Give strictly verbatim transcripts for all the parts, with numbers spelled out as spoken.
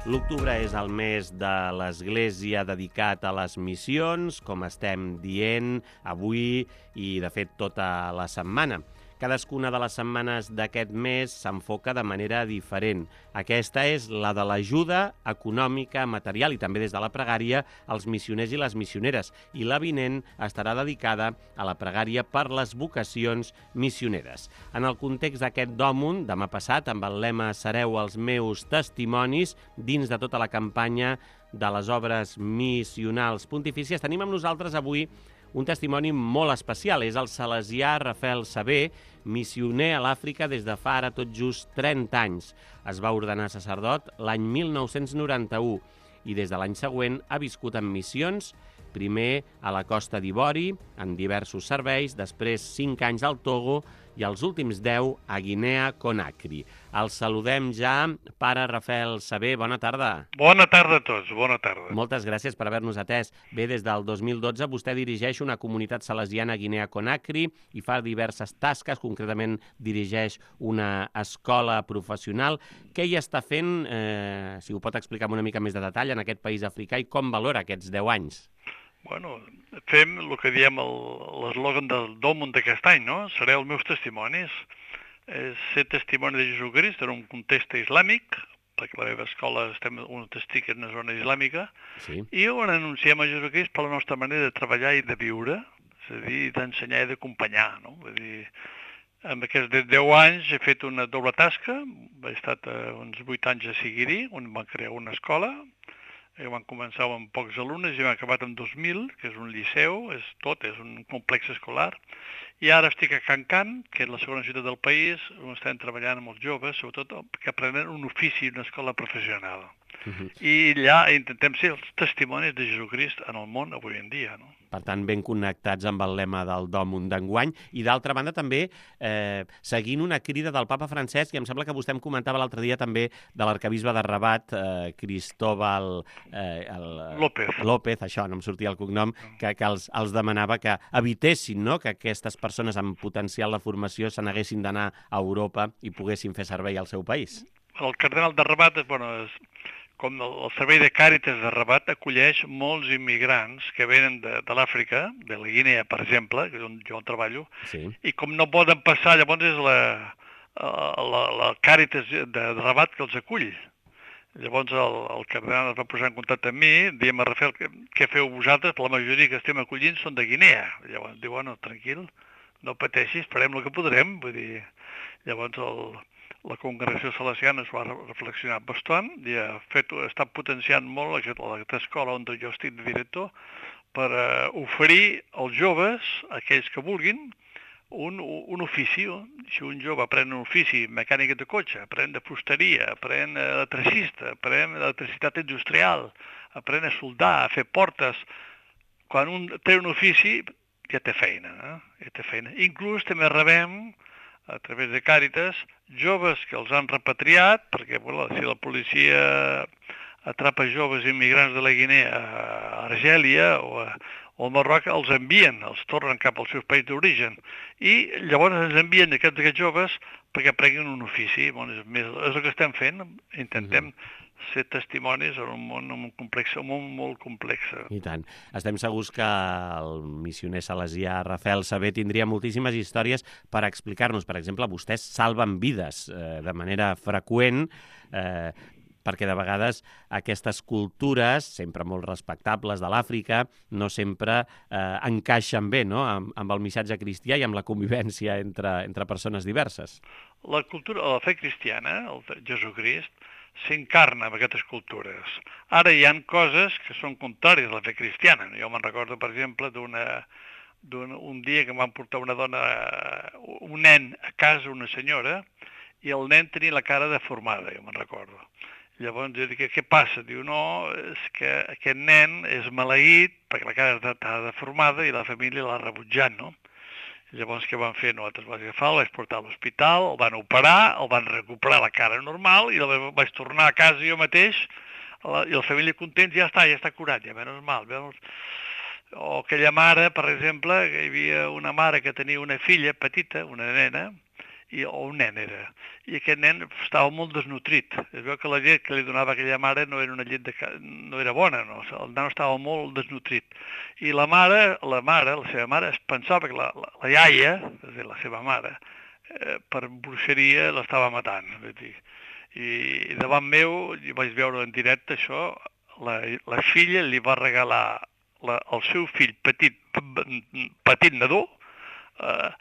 L'octubre és el mes de l'Església dedicat a les missions, com estem dient avui i, de fet, tota la setmana. Cadascuna de les setmanes d'aquest mes s'enfoca de manera diferent. Aquesta és la de l'ajuda econòmica, material i també des de la pregària als missioners i les missioneres. I la vinent estarà dedicada a la pregària per les vocacions missioneres. En el context d'aquest Dòmun, demà passat, amb el lema Sereu els meus testimonis, dins de tota la campanya de les obres missionals pontifícies, tenim amb nosaltres avui un testimoni molt especial. És el salesià Rafael Sabé, missioner a l'Àfrica des de fa ara tot just trenta anys. Es va ordenar sacerdot l'any mil nou-cents noranta-u i des de l'any següent ha viscut en missions, primer a la Costa d'Ivori, en diversos serveis, després cinc anys al Togo i els últims deu a Guinea Conakry. El saludem ja, pare Rafael Sabé, bona tarda. Bona tarda a tots, bona tarda. Moltes gràcies per haver-nos atès. Bé, des del dos mil dotze vostè dirigeix una comunitat salesiana a Guinea Conakry i fa diverses tasques, concretament dirigeix una escola professional. Què hi està fent, eh, si ho pot explicar amb una mica més de detall, en aquest país africà i com valora aquests deu anys? Bueno, fem el que diem l'eslògan del Dòmun d'aquest any, no? Sereu els meus testimonis. És ser testimoni de Jesucrist en un context islàmic, perquè la meva escola estem on estic en una zona islàmica, sí. I on anunciem a Jesucrist per la nostra manera de treballar i de viure, és a dir, d'ensenyar i d'acompanyar, no? Vull dir, en aquests deu anys he fet una doble tasca, he estat uns vuit anys a Siguiri, on vam crear una escola, que van començar amb pocs alumnes i hem acabat amb dos mil, que és un liceu, és tot, és un complex escolar. I ara estic a Kankan, que és la segona ciutat del país, on estem treballant amb els joves, sobretot que aprenen un ofici, una escola professional. Uh-huh. I allà intentem ser els testimonis de Jesucrist en el món avui en dia, no? Per tant, ben connectats amb el lema del Dòmun d'enguany. I d'altra banda, també, eh, seguint una crida del papa Francesc, i em sembla que vostè em comentava l'altre dia també de l'arquebisbe de Rabat, eh, Cristóbal eh, el, López. López, això, no em sortia el cognom, que, que els, els demanava que evitessin, no?, que aquestes persones amb potencial de formació se n'haguessin d'anar a Europa i poguessin fer servei al seu país. El cardenal de Rabat, bueno, és... com el servei de Càritas de Rabat acolleix molts immigrants que venen de, de l'Àfrica, de la Guinea, per exemple, que és on jo treballo, sí. I com no poden passar, llavors és la, la, la Càritas de, de Rabat que els acull. Llavors el, el cardenal es va posar en contacte amb mi, diem a Rafael, què feu vosaltres? La majoria que estem acollint són de Guinea. Llavors diu, bueno, tranquil, no pateixis, farem el que podrem. Vull dir, llavors el... La congregació salesiana es va reflexionar bastant i ha fet, ha estat potenciant molt aquesta escola on jo estic de director per uh, oferir als joves, aquells que vulguin, un, un ofici. Si un jove aprèn un ofici mecànic de cotxe, aprèn de fusteria, aprèn electricista, aprèn electricitat industrial, aprèn a soldar, a fer portes, quan un té un ofici ja té feina, eh? Ja té feina. Inclús també rebem a través de Càritas, joves que els han repatriat, perquè bueno, si la policia atrapa joves immigrants de la Guinea a Argèlia o, a, o al Marroc, els envien, els tornen cap als seus països d'origen. I llavors ens envien aquests, aquests joves perquè aprenguin un ofici. Bon, és, més, és el que estem fent, intentem mm-hmm. ser testimonis en un món, en un complex, un món molt complex. I tant. Estem segurs que el missioner salesià Rafael Sabé tindria moltíssimes històries per explicar-nos. Per exemple, vostès salven vides eh, de manera freqüent, eh, perquè de vegades aquestes cultures, sempre molt respectables de l'Àfrica, no sempre eh, encaixen bé, no?, amb, amb el missatge cristià i amb la convivència entre, entre persones diverses. La cultura, la fe cristiana, el Jesucrist, s'encarna en aquestes cultures. Ara hi ha coses que són contràries a la fe cristiana. Jo me'n recordo, per exemple, d'una d'un un dia que em van portar una dona, un nen a casa, una senyora, i el nen tenia la cara deformada, jo me'n recordo. Llavors jo dic, què passa? Diu, no, és que aquest nen és maleït perquè la cara està deformada i la família l'ha rebutjat, no? Llavors què van fer? Nosaltres vam agafar, el vaig portar a l'hospital, el van operar, el van recuperar la cara normal i el vaig tornar a casa jo mateix i la família content, ja està, ja està curat, ja menys mal. O aquella mare, per exemple, que hi havia una mare que tenia una filla petita, una nena, i, o un nen era, i aquest nen estava molt desnutrit. Es veu que la llet que li donava aquella mare no era una llet de, no era bona, no? El nen estava molt desnutrit. I la mare, la mare, la seva mare, es pensava que la, la, la iaia, és a dir, la seva mare, eh, per bruixeria l'estava matant. És dir. I davant meu, jo vaig veure en directe això, la, la filla li va regalar la, el seu fill petit, petit nadó, eh,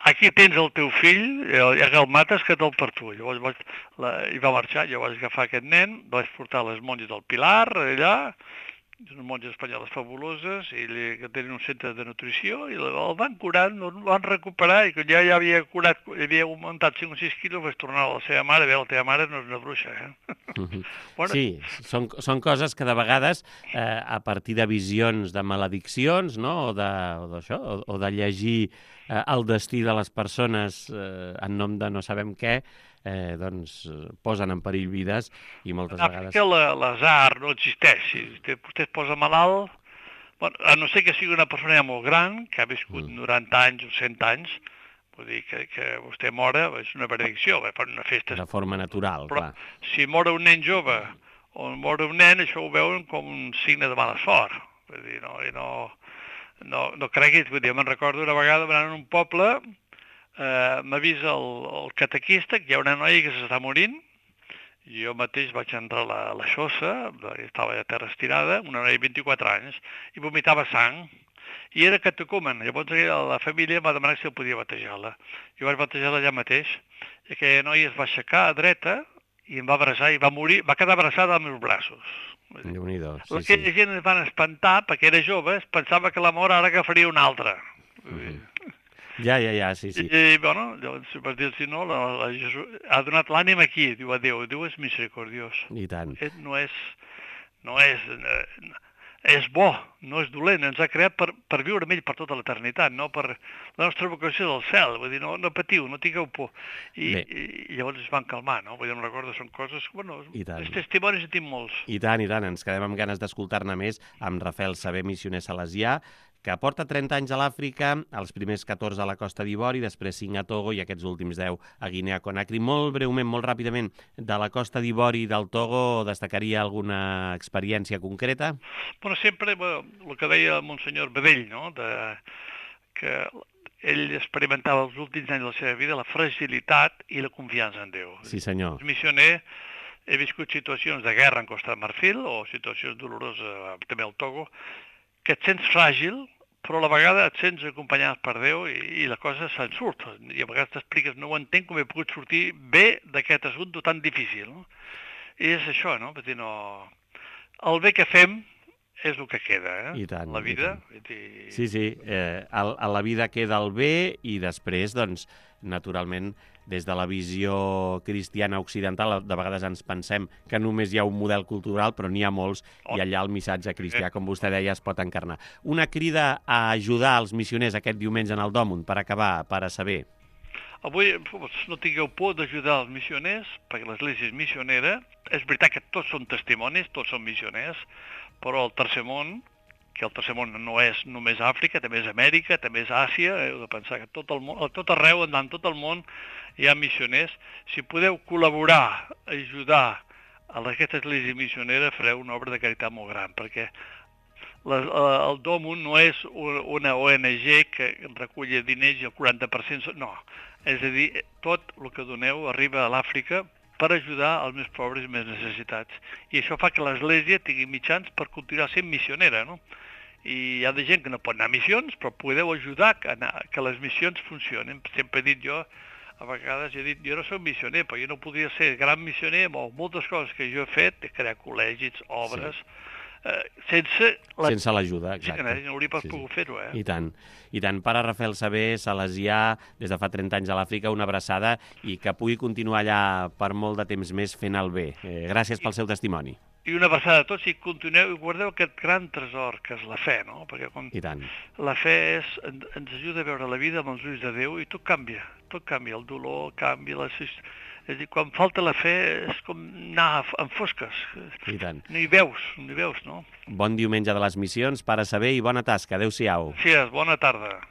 aquí tens el teu fill, ja que el mates, que te'l per tu. Llavors vaig, la, hi va marxar, jo vaig agafar aquest nen, vaig portar les monges del Pilar, allà, unes monges espanyoles fabuloses, i li, que tenen un centre de nutrició, i el van curar, el van recuperar, i quan ja, ja havia curat, havia augmentat cinc o sis quilos, vaig tornar a la seva mare, a veure, la teva mare no és una bruixa, eh? Uh-huh. Bueno. Sí, són, són coses que de vegades, eh, a partir de visions de malediccions, no?, o d'això, o, o de llegir eh, el destí de les persones eh, en nom de no sabem què, eh, doncs posen en perill vides i moltes ah, vegades... Que l'azar no existeix. Si vostè es posa malalt, bueno, a no ser que sigui una persona ja molt gran, que ha viscut mm. noranta anys o cent anys, vull dir que, que vostè mora, és una benedicció, per una festa... De forma natural, però, clar. Si mora un nen jove o mora un nen, això ho veuen com un signe de mala sort. Vull dir, no, i no, no, no creguis, vull dir, me'n recordo una vegada anant en un poble, eh, m'avisa el, el catequista que hi ha una noia que s'està morint, i jo mateix vaig entrar a la, a la xossa, estava a terra estirada, una noia de vint-i-quatre anys, i vomitava sang, i era catecumen. Llavors la família va demanar si el podia batejar-la. Jo vaig batejar-la allà mateix, i aquella noia es va aixecar a dreta, i em va abraçar, i va morir, va quedar abraçada als meus braços. Déu-n'hi-do, sí, la que sí. gent es van espantar, perquè era jove, es pensava que la mort ara agafaria una altra. Mm-hmm. Ja, ja, ja, sí, sí. I, i bueno, llavors, per dir-si no, la, la Jesús ha donat l'ànima aquí, diu a Déu, Déu és misericordiós. I tant. No és, no és, és bo, no és dolent, ens ha creat per, per viure amb ell per tota l'eternitat, no per la nostra vocació del cel, vull dir, no, no patiu, no tingueu por. I, i, i llavors es van calmar, no? Vull dir, em recordo, són coses, bueno, els testimonis en tinc molts. I tant, i tant, ens quedem amb ganes d'escoltar-ne més amb Rafael Sabé, missioner salesià, que porta trenta anys a l'Àfrica, els primers catorze a la Costa d'Ivori, després cinc a Togo i aquests últims deu a Guinea-Conakry. Molt breument, molt ràpidament, de la Costa d'Ivori i del Togo, destacaria alguna experiència concreta? Bueno, sempre, bueno, el que deia el monsenyor Bedell, no?, de, que ell experimentava els últims anys de la seva vida la fragilitat i la confiança en Déu. Sí, senyor. És missioner, he viscut situacions de guerra en Costa de Marfil o situacions doloroses també al Togo, que et sents fràgil, però a la vegada et sents acompanyat per Déu i, i la cosa se'n surt. I a vegades t'expliques, no ho entenc com he pogut sortir bé d'aquest assumpte tan difícil. No? I és això, no? Dir, no... El bé que fem és el que queda, eh? I tant, la vida. I tant. Sí, sí, eh, a, a la vida queda el bé i després, doncs, naturalment, des de la visió cristiana occidental, de vegades ens pensem que només hi ha un model cultural, però n'hi ha molts, i allà el missatge cristià, com vostè deia, es pot encarnar. Una crida a ajudar els missioners aquest diumenge en el Dòmund, per acabar, per a saber. Avui no tingueu por d'ajudar els missioners, perquè l'Església és missionera. És veritat que tots són testimonis, tots són missioners, però el tercer món, que el tercer món no és només Àfrica, també és Amèrica, també és Àsia, heu de pensar que tot, el món, tot arreu, en tot el món, hi ha missioners. Si podeu col·laborar, ajudar a aquesta església missionera, fareu una obra de caritat molt gran, perquè la, el Dòmund no és una O N G que recull diners i el quaranta per cent... No, és a dir, tot el que doneu arriba a l'Àfrica per ajudar els més pobres i més necessitats. I això fa que l'Església tingui mitjans per continuar sent missionera, no? I hi ha de gent que no pot anar a missions, però podeu ajudar a anar, que les missions funcionin. Sempre he dit jo, a vegades he dit, jo no soc missioner, però jo no podria ser gran missioner amb moltes coses que jo he fet, de crear col·legis, obres, sí. eh, sense... La... Sense l'ajuda, exacte. Sí, no hauria pas sí, pogut fer-ho, eh? I tant. I tant. Pare Rafael Sabé, salesià, des de fa trenta anys a l'Àfrica, una abraçada i que pugui continuar allà per molt de temps més fent el bé. Eh, gràcies pel seu testimoni. I una abraçada a tots i continueu i guardeu aquest gran tresor que és la fe, no? Perquè quan I tant. La fe és, ens ajuda a veure la vida amb els ulls de Déu i tot canvia, tot canvia, el dolor canvia, la... és a dir, quan falta la fe és com anar en fosques. I tant. No hi veus, no hi veus, no? Bon diumenge de les missions, pare Sabé, i bona tasca. Adéu-siau. Sí, bona tarda.